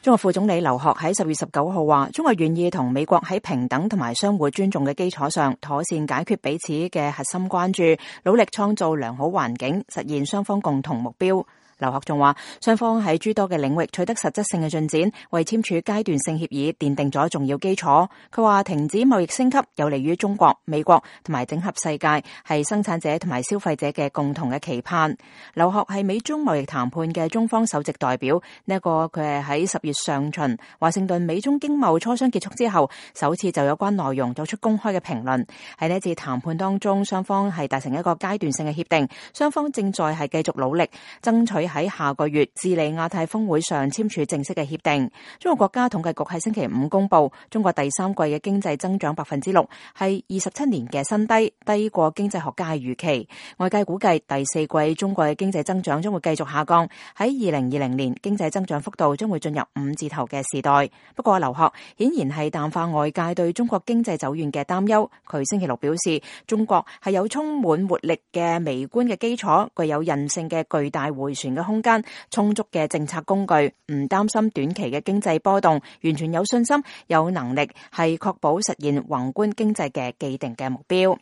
中國副總理劉鶴喺10月19號話，中國願意同美國喺平等同埋相互尊重嘅基礎上，妥善解決彼此嘅核心關注，努力創造良好環境，實現雙方共同目標。劉鶴仲話，雙方喺諸多嘅領域取得實質性嘅進展，為簽署階段性協議奠定咗重要基礎。佢話，停止貿易升級有利於中國、美國同埋整合世界，係生產者同埋消費者嘅共同嘅期盼。劉鶴係美中貿易談判嘅中方首席代表，佢係喺10月上旬華盛頓美中經貿磋商結束之後，首次就有關內容作出公開嘅評論。喺呢次談判當中，雙方係達成一個階段性嘅協定，雙方正在係繼續努力爭取喺下個月智利亞太峰會上簽署正式嘅協定。中國國家統計局喺星期五公布，中國第三季嘅經濟增長6%，係27年嘅新低，低過經濟學家嘅預期。外界估計第四季中國嘅經濟增長將會繼續下降，喺2020年經濟增長幅度將會進入5字頭嘅時代。不過劉鶴顯然係淡化外界對中國經濟走遠嘅擔憂。佢星期六表示，中國係有充滿活力嘅微觀嘅基礎，具有韌性嘅巨大迴旋嘅空間，充足嘅政策工具，唔擔心短期嘅經濟波動，完全有信心有能力係確保實現宏觀經濟嘅既定嘅目標。